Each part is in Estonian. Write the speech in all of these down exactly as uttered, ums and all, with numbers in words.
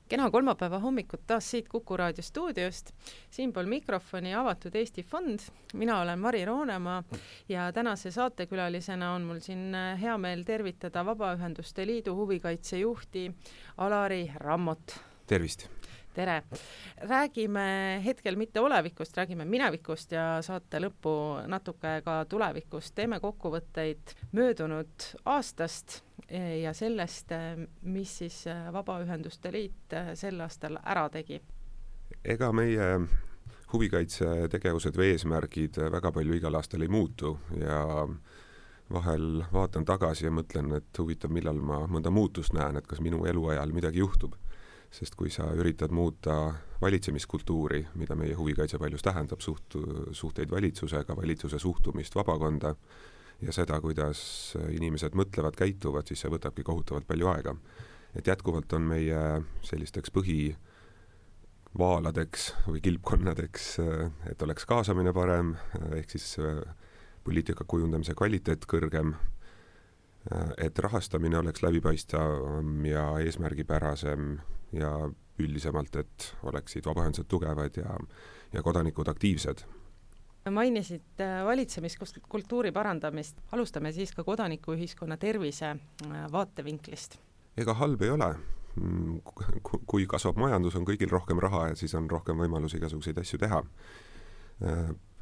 Kena kolmapäeva hommikut taas siit Kuku Raadio stuudiost. Siinpool mikrofoni avatud Eesti Fond. Mina olen Mari Roonemaa ja tänase saatekülalisena on mul siin hea meel tervitada Vabaühenduste Liidu huvikaitsejuhti Alari Rammot. Tervist! Tere! Räägime hetkel mitte olevikust, räägime minevikust ja saate lõppu natuke ka tulevikust. Teeme kokkuvõtteid möödunud aastast ja sellest, mis siis Vabaühenduste Liit sel aastal ära tegi. Ega meie huvikaitsetegevused või eesmärgid väga palju igal aastal ei muutu ja vahel vaatan tagasi ja mõtlen, et huvitav, millal ma mõnda muutust näen, et kas minu eluajal midagi juhtub. Sest kui sa üritad muuta valitsemiskultuuri, mida meie huvikaitse paljus tähendab, suht, suhteid valitsusega, valitsuse suhtumist vabakonda ja seda, kuidas inimesed mõtlevad, käituvad, siis see võtabki kohutavalt palju aega. Et jätkuvalt on meie sellisteks põhivaaladeks või kilpkonnadeks, et oleks kaasamine parem, ehk siis poliitika kujundamise kvaliteet kõrgem, et rahastamine oleks läbipaistavam ja eesmärgipärasem ja üldisemalt, et oleksid vabaühendused tugevad ja, ja kodanikud aktiivsed. Mainisid valitsemiskultuuri parandamist. Alustame siis ka kodanikuühiskonna tervise vaatevinklist. Ega halb ei ole. Kui kasvab majandus, on kõigil rohkem raha ja siis on rohkem võimalusi igasuguseid asju teha.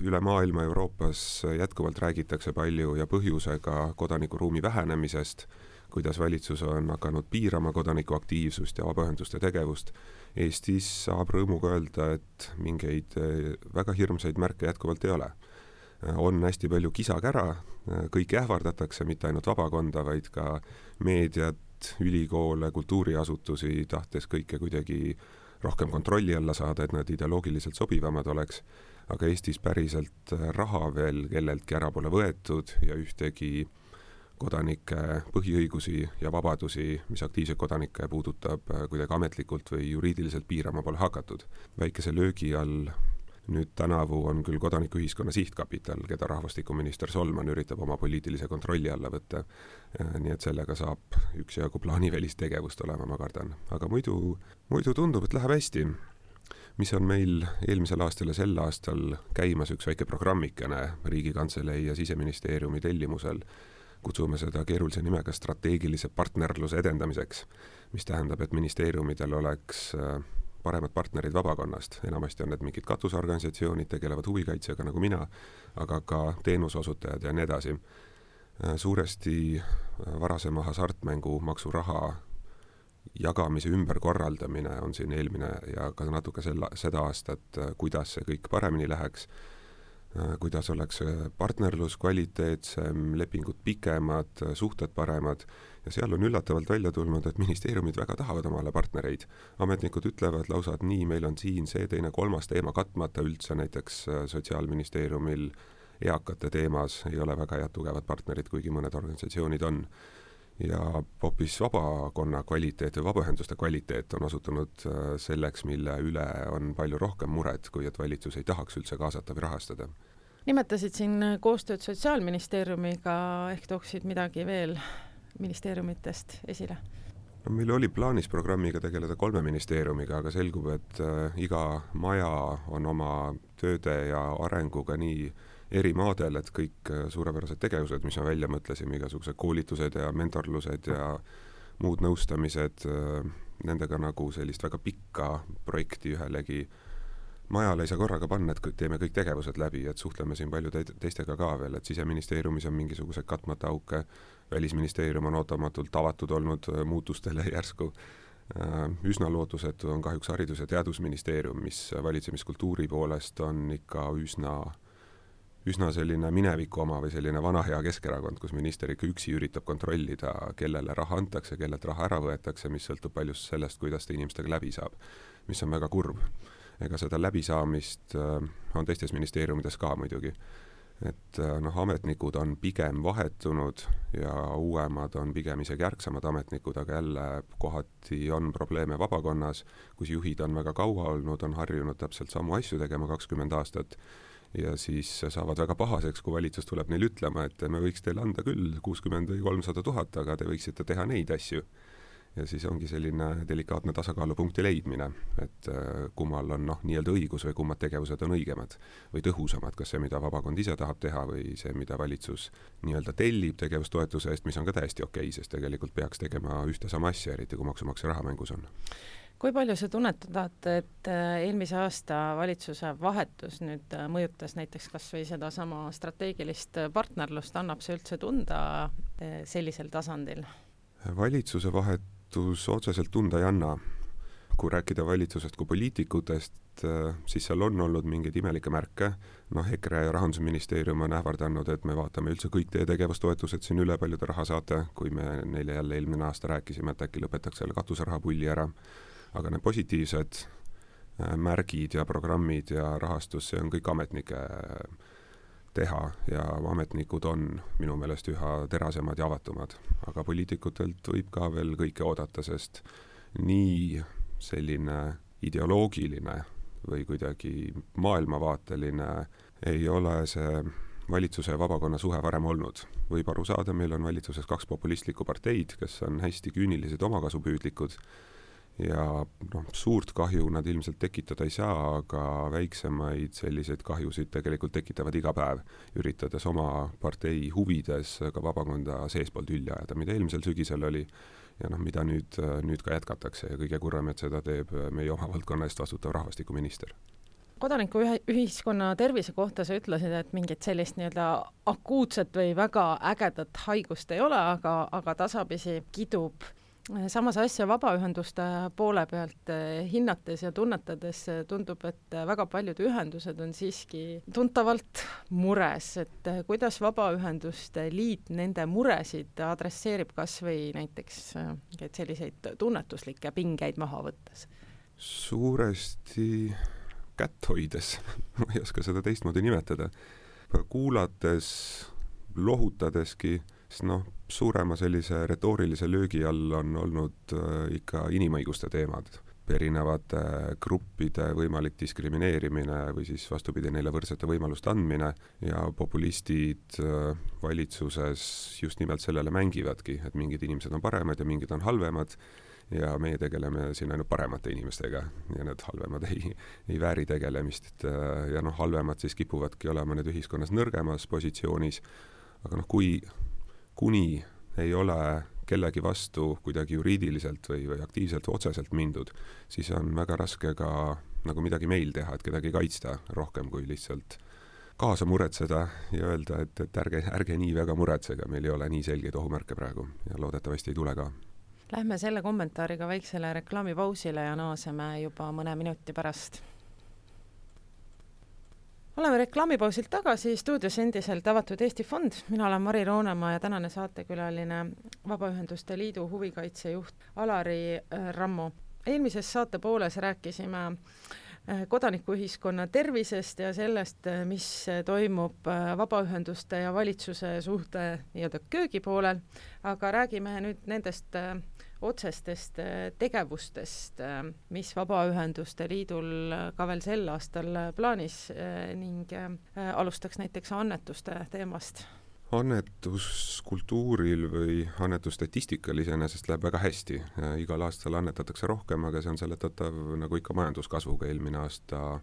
Üle maailma Euroopas jätkuvalt räägitakse palju ja põhjusega kodanikuruumi vähenemisest, kuidas valitsus on hakanud piirama kodaniku aktiivsust ja vabaühenduste tegevust. Eestis saab rõõmuga öelda, et mingeid väga hirmsaid märke jätkuvalt ei ole. On hästi palju kisakära, kõik ähvardatakse, mitte ainult vabakonda, vaid ka meediat, ülikoole, kultuuriasutusi, tahtes kõike kuidagi rohkem kontrolli alla saada, et nad ideoloogiliselt sobivamad oleks. Aga Eestis päriselt raha veel kelleltki ära pole võetud ja ühtegi kodanike põhiõigusi ja vabadusi, mis aktiivseid kodanikke puudutab, kuidagi ametlikult või juriidiliselt piirama pole hakatud. Väikese löögi all nüüd tänavu on küll kodanikuühiskonna sihtkapital, keda rahvastikuminister Solman üritab oma poliitilise kontrolli alla võtta. Nii et sellega saab üksjagu plaanivälist tegevust olema, ma kardan. Aga muidu, muidu tundub, et läheb hästi. Mis on meil eelmisel aastal ja sel aastal käimas üks väike programmikene Riigikantselei ja Siseministeeriumi tellimusel. Kutsume seda keerulise nimega strateegilise partnerluse edendamiseks, mis tähendab, et ministeeriumidel oleks paremad partnerid vabakonnast. Enamasti on need mingid katusorganisatsioonid, tegelevad huvikaitsega nagu mina, aga ka teenusosutajad ja nii edasi. Suuresti varasema hasartmängu maksuraha jagamise ümberkorraldamine on siin eelmine ja ka natuke selle, seda aastat, kuidas see kõik paremini läheks, kuidas oleks partnerlus kvaliteetsem, lepingud pikemad, suhted paremad ja seal on üllatavalt välja tulnud, et ministeeriumid väga tahavad omale partnereid. Ametnikud ütlevad lausa, et nii, meil on siin see teine kolmas teema katmata üldse, näiteks Sotsiaalministeeriumil eakate teemas ei ole väga head tugevad partnerid, kuigi mõned organisatsioonid on. Ja hoopis vabakonna kvaliteet ja vabaühenduste kvaliteet on osutunud selleks, mille üle on palju rohkem muret, kui et valitsus ei tahaks üldse kaasata või rahastada. Nimetasid siin koostööd Sotsiaalministeeriumiga, ehk tooksid midagi veel ministeeriumitest esile? No, meil oli plaanis programmiga tegeleda kolme ministeeriumiga, aga selgub, et iga maja on oma tööde ja arenguga nii eri maadel, et kõik suurepärased tegevused, mis me välja mõtlesime, igasugused koolitused ja mentorlused ja muud nõustamised, nendega nagu sellist väga pikka projekti ühelegi majale ei saa korraga panna, et teeme kõik tegevused läbi, et suhtleme siin palju teistega ka veel, et Siseministeeriumis on mingisugused katmata auke, Välisministeerium on ootamatult avatud olnud muutustele järsku. Üsna lootusetu on kahjuks Haridus- ja Teadusministeerium, mis valitsemiskultuuri poolest on ikka üsna üsna selline mineviku oma või selline vana hea Keskerakond, kus minister ikka üksi üritab kontrollida, kellele raha antakse, kellelt raha ära võetakse, mis sõltub palju sellest, kuidas ta inimestega läbi saab, mis on väga kurb. Ega seda läbisaamist on teistes ministeeriumides ka muidugi. Et noh, ametnikud on pigem vahetunud ja uuemad on pigem isegi järgsamad ametnikud, aga jälle kohati on probleeme vabakonnas, kus juhid on väga kaua olnud, on harjunud täpselt samu asju tegema kakskümmend aastat ja siis saavad väga pahaseks, kui valitsus tuleb neil ütlema, et me võiks teile anda küll kuuskümmend või kolmsada tuhat, aga te võiksite teha neid asju. ja siis ongi selline delikaatne tasakaalupunkti leidmine, et kummal on noh, nii-öelda õigus või kummad tegevused on õigemad või tõhusamad, kas see, mida vabakond ise tahab teha või see, mida valitsus nii-öelda tellib tegevustoetuse eest, mis on ka täiesti okei, sest tegelikult peaks tegema ühte sama asja, eriti kui maksumaksja raha mängus on. Kui palju sa tunnetad, et eelmise aasta valitsuse vahetus nüüd mõjutas näiteks kas või seda sama strateegilist partnerlust, annab see üldse tunda sellisel tasandil? Valitsuse vahetus otseselt tunda ei anna. Kui rääkida valitsusest kui poliitikutest, siis seal on olnud mingeid imelikke märke. Noh, EKRE ja Rahandusministeerium on ähvardanud, et me vaatame üldse kõik teie tegevustoetused siin üle, palju te raha saate, kui me neile jälle eelmine aasta rääkisime, et äkki lõpetaks selle katuseraha pulli ära. Aga need positiivsed märgid ja programmid ja rahastus, see on kõik ametnike teha ja ametnikud on minu meelest üha terasemad ja avatumad. Aga poliitikutelt võib ka veel kõike oodata, sest nii selline ideoloogiline või kuidagi maailmavaateline ei ole see valitsuse ja vabakonna suhe varem olnud. Võib aru saada, meil on valitsuses kaks populistlikku parteid, kes on hästi küünilised omakasupüüdlikud ja noh, suurt kahju nad ilmselt tekitada ei saa, aga väiksemaid selliseid kahjusid tegelikult tekitavad iga päev, üritades oma partei huvides ka vabakonda seespool tülli ajada, mida eelmisel sügisel oli ja noh, mida nüüd, nüüd ka jätkatakse ja kõige kurvem, et seda teeb meie oma valdkonna eest vastutav rahvastikuminister. Kodaniku ühiskonna tervise kohta sa ütlesid, et mingit sellist nii-öelda akuutset või väga ägedat haigust ei ole, aga, aga tasapisi kidub. Samas asja vabaühenduste poole pealt hinnates ja tunnetades tundub, et väga paljud ühendused on siiski tuntavalt mures, et kuidas Vabaühenduste Liit nende muresid adresseerib kas või näiteks et selliseid tunnetuslikke pingeid maha võttes? Suuresti kätt hoides, ma ei oska seda teistmoodi nimetada, kuulates, lohutadeski, noh, suurema sellise retoorilise löögi all on olnud äh, ikka inimõiguste teemad, erinevate gruppide võimalik diskrimineerimine või siis vastupidi neile võrdsete võimaluste andmine ja populistid äh, valitsuses just nimelt sellele mängivadki, et mingid inimesed on paremad ja mingid on halvemad ja meie tegeleme siin ainult paremate inimestega ja need halvemad ei, ei vääri tegelemist äh, ja noh, halvemad siis kipuvadki olema need ühiskonnas nõrgemas positsioonis, aga noh, kui kuni ei ole kellegi vastu kuidagi juriidiliselt või, või aktiivselt või otseselt mindud, siis on väga raske ka nagu midagi meil teha, et kedagi kaitsta rohkem kui lihtsalt kaasa muretseda ja öelda, et, et ärge, ärge nii väga muretsega, meil ei ole nii selgeid ohumärke praegu ja loodetavasti ei tule ka. Lähme selle kommentaariga väiksele reklaamipausile ja naaseme juba mõne minuti pärast. Oleme reklaamipausilt tagasi, stuudios endiselt Avatud Eesti Fond. Mina olen Mari Roonemaa ja tänane saatekülaline Vabaühenduste Liidu huvikaitsejuht Alari Rammo. Eelmises saate pooles rääkisime kodanikuühiskonna tervisest ja sellest, mis toimub vabaühenduste ja valitsuse suhte nii-öelda köögi poolel, aga räägime nüüd nendest otsestest tegevustest, mis Vabaühenduste Liidul ka veel sel aastal plaanis ning alustaks näiteks annetuste teemast. Annetuskultuuril või annetusstatistikal iseenesest läheb väga hästi. Igal aastal annetatakse rohkem, aga see on seletatav nagu ikka majanduskasvuga. Eelmine aasta,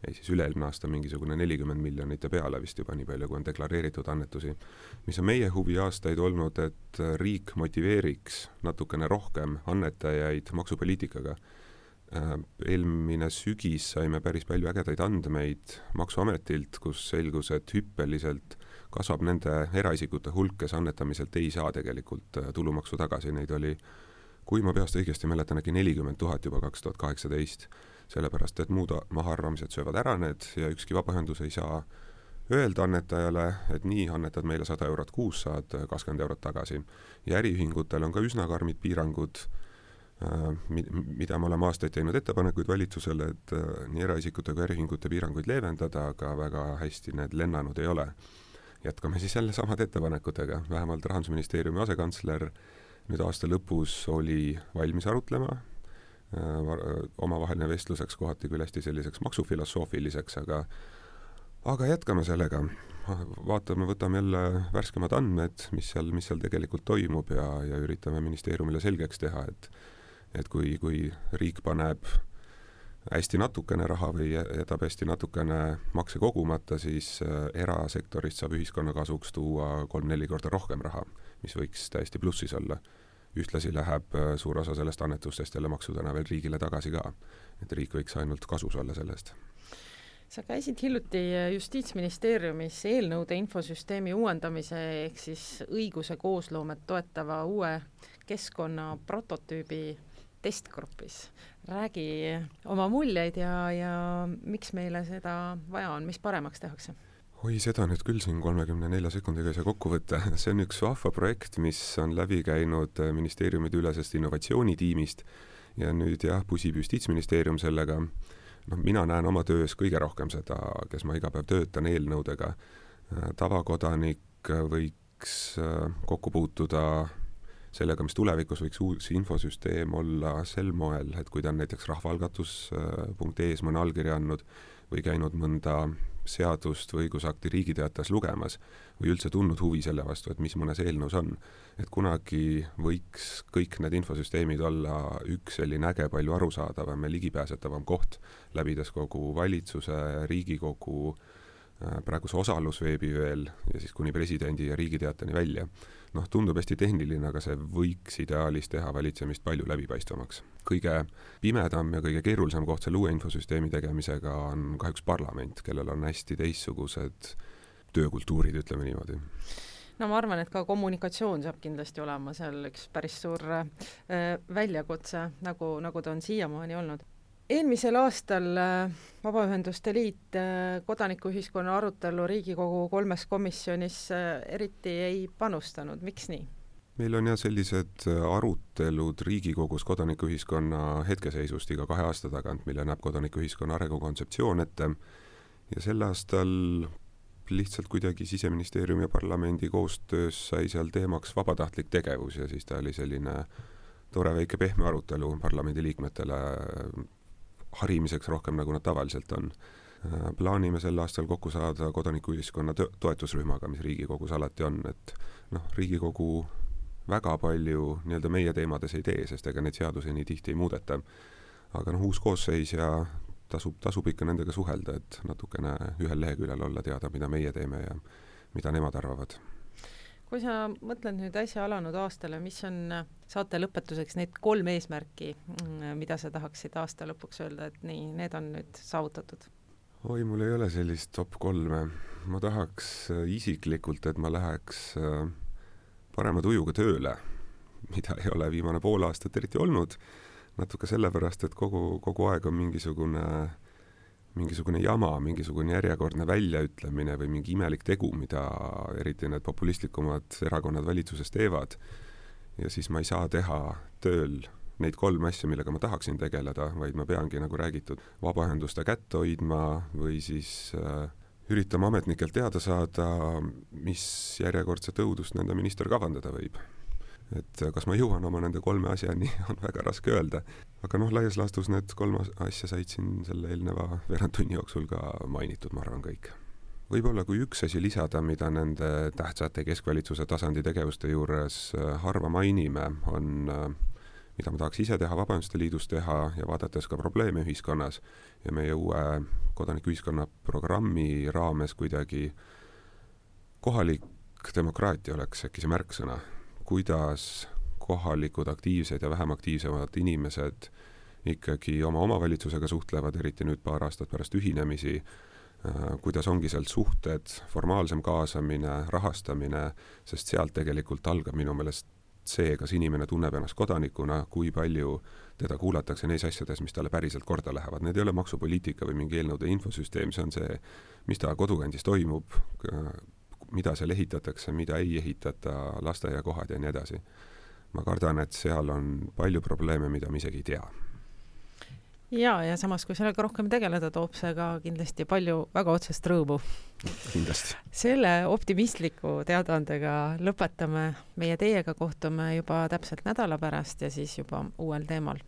ei siis üle-eelmine aasta mingisugune nelikümmend miljonit ja peale vist juba nii palju, kui on deklareeritud annetusi. Mis on meie huvi aastaid olnud, et riik motiveeriks natukene rohkem annetajaid maksupoliitikaga. Eelmine sügis saime päris palju ägedaid andmeid Maksuametilt, kus selgus, et hüppeliselt kasvab nende eraisikute hulk, kes annetamiselt ei saa tegelikult tulumaksu tagasi. Neid oli, kui ma peast õigesti mäletan, äkki nelikümmend tuhat juba kaks tuhat kaheksateist, sellepärast et muud mahaarvamised söövad ära need ja ükski vabaühendus ei saa öelda annetajale, et nii annetad meile sada eurot kuus, saad kakskümmend eurot tagasi. Ja äriühingutel on ka üsna karmid piirangud, mida me oleme aastaid teinud ettepanekuid valitsusele, et nii eraisikute kui äriühingute piiranguid leevendada, aga väga hästi need lennanud ei ole. Jätkame siis jälle samad ettepanekutega. Vähemalt Rahandusministeeriumi asekantsler nüüd aasta lõpus oli valmis arutlema, omavaheline vestluseks kohati küll hästi selliseks maksufilosoofiliseks, aga aga jätkame sellega. Vaatame, võtame jälle värskemad andmed, mis seal, mis seal tegelikult toimub ja, ja üritame ministeeriumile selgeks teha, et, et kui, kui riik paneb hästi natukene raha või jätab hästi natukene makse kogumata, siis erasektorist saab ühiskonna kasuks tuua kolm-neli korda rohkem raha, mis võiks täiesti plussis olla. Ühtlasi läheb suur osa sellest annetustest jälle maksudena veel riigile tagasi ka, et riik võiks ainult kasus olla sellest. Sa käisid hiljuti Justiitsministeeriumis eelnõude infosüsteemi uuendamise ehk siis õiguse koosloomet toetava uue keskkonna prototüübi testgrupis. Räägi oma muljeid ja, ja miks meile seda vaja on, mis paremaks tehakse? Oi, seda nüüd küll siin kolmekümne nelja sekundiga ei saa kokku võtta. See on üks vahva projekt, mis on läbi käinud ministeeriumide ülesest innovatsioonitiimist ja nüüd jah, pusib Justiitsministeerium sellega. No, mina näen oma töös kõige rohkem seda, kes ma iga päev töötan eelnõudega. Tavakodanik võiks kokku puutuda sellega, mis tulevikus võiks uus infosüsteem olla sel moel, et kui ta on näiteks rahvaalgatus punkt ee-s mõne allkirja andnud või käinud mõnda seadust või õigusakti Riigiteatas lugemas või üldse tundnud huvi selle vastu, et mis mõnes eelnõus on. Et kunagi võiks kõik need infosüsteemid olla üks selline äge, palju arusaadavam ja ligipääsetavam koht, läbides kogu valitsuse, Riigikogu, praeguse osalusveebi veel ja siis kuni presidendi ja Riigiteatani välja. Noh, tundub hästi tehniline, aga see võiks ideaalis teha valitsemist palju läbipaistvamaks. Kõige pimedam ja kõige keerulisem koht selle uue infosüsteemi tegemisega on kahjuks parlament, kellel on hästi teistsugused töökultuurid, ütleme niimoodi. No ma arvan, et ka kommunikatsioon saab kindlasti olema seal üks päris suur äh, väljakutse, nagu, nagu ta on siiamaani olnud. Eelmisel aastal Vabaühenduste Liit kodanikuühiskonna arutelu Riigikogu kolmes komisjonis eriti ei panustanud. Miks nii? Meil on jah sellised arutelud Riigikogus kodanikuühiskonna hetkeseisust iga kahe aasta tagant, mille näeb kodanikuühiskonna arengukontseptsioon ette. Ja sel aastal lihtsalt kuidagi Siseministeeriumi ja parlamendi koostöös sai seal teemaks vabatahtlik tegevus ja siis ta oli selline tore väike pehme arutelu parlamendi liikmetele harimiseks rohkem, nagu nad tavaliselt on. Plaanime sel aastal kokku saada kodanikuühiskonna toetusrühmaga, mis Riigikogus alati on, et noh, Riigikogu väga palju nii-öelda meie teemades ei tee, sest ega neid seadusi nii tihti ei muudeta. Aga noh, uus koosseis ja tasub, tasub ikka nendega suhelda, et natukene ühel leheküljel olla teada, mida meie teeme ja mida nemad arvavad. Kui sa mõtled nüüd äsja alanud aastale, mis on saate lõpetuseks need kolm eesmärki, mida sa tahaksid aasta lõpuks öelda, et nii, need on nüüd saavutatud? Oi, mul ei ole sellist top kolme. Ma tahaks isiklikult, et ma läheks parema tujuga tööle, mida ei ole viimane pool aastat eriti olnud. Natuke sellepärast, et kogu, kogu aeg on mingisugune mingisugune jama, mingisugune järjekordne väljaütlemine või mingi imelik tegu, mida eriti need populistlikumad erakonnad valitsuses teevad. Ja siis ma ei saa teha tööl neid kolm asja, millega ma tahaksin tegeleda, vaid ma peangi, nagu räägitud, vabaühenduste kätt hoidma või siis äh, üritama ametnikelt teada saada, mis järjekordse tõudust nende minister kavandada võib. Et kas ma jõuan oma nende kolme asjani, on väga raske öelda. Aga noh, laias laastus need kolm asja said siin selle eelneva veerandtunni jooksul ka mainitud, ma arvan kõik. Võib-olla kui üks asi lisada, mida nende tähtsate keskvalitsuse tasandi tegevuste juures harva mainime, on, mida ma tahaks ise teha, Vabaühenduste Liidus teha ja vaadates ka probleeme ühiskonnas ja meie uue kodanikuühiskonna programmi raames kuidagi kohalik demokraatia oleks äkki see märksõna. Kuidas kohalikud aktiivsed ja vähem aktiivsemad inimesed ikkagi oma omavalitsusega suhtlevad, eriti nüüd paar aastat pärast ühinemisi, kuidas ongi sealt suhted, formaalsem kaasamine, rahastamine, sest sealt tegelikult algab minu meelest see, kas inimene tunneb ennast kodanikuna, kui palju teda kuulatakse neis asjades, mis talle päriselt korda lähevad. Need ei ole maksupoliitika või mingi eelnõude infosüsteem, see on see, mis ta kodukandis toimub, mida seal ehitatakse, mida ei ehitata, lasteaiakohad ja nii edasi. Ma kardan, et seal on palju probleeme, mida me isegi ei tea. Ja, ja samas, kui sellega rohkem tegeleda, toob see ka kindlasti palju väga otsest rõõmu. Kindlasti. Selle optimistliku teadaandega lõpetame. Meie teiega kohtume juba täpselt nädala pärast ja siis juba uuel teemal.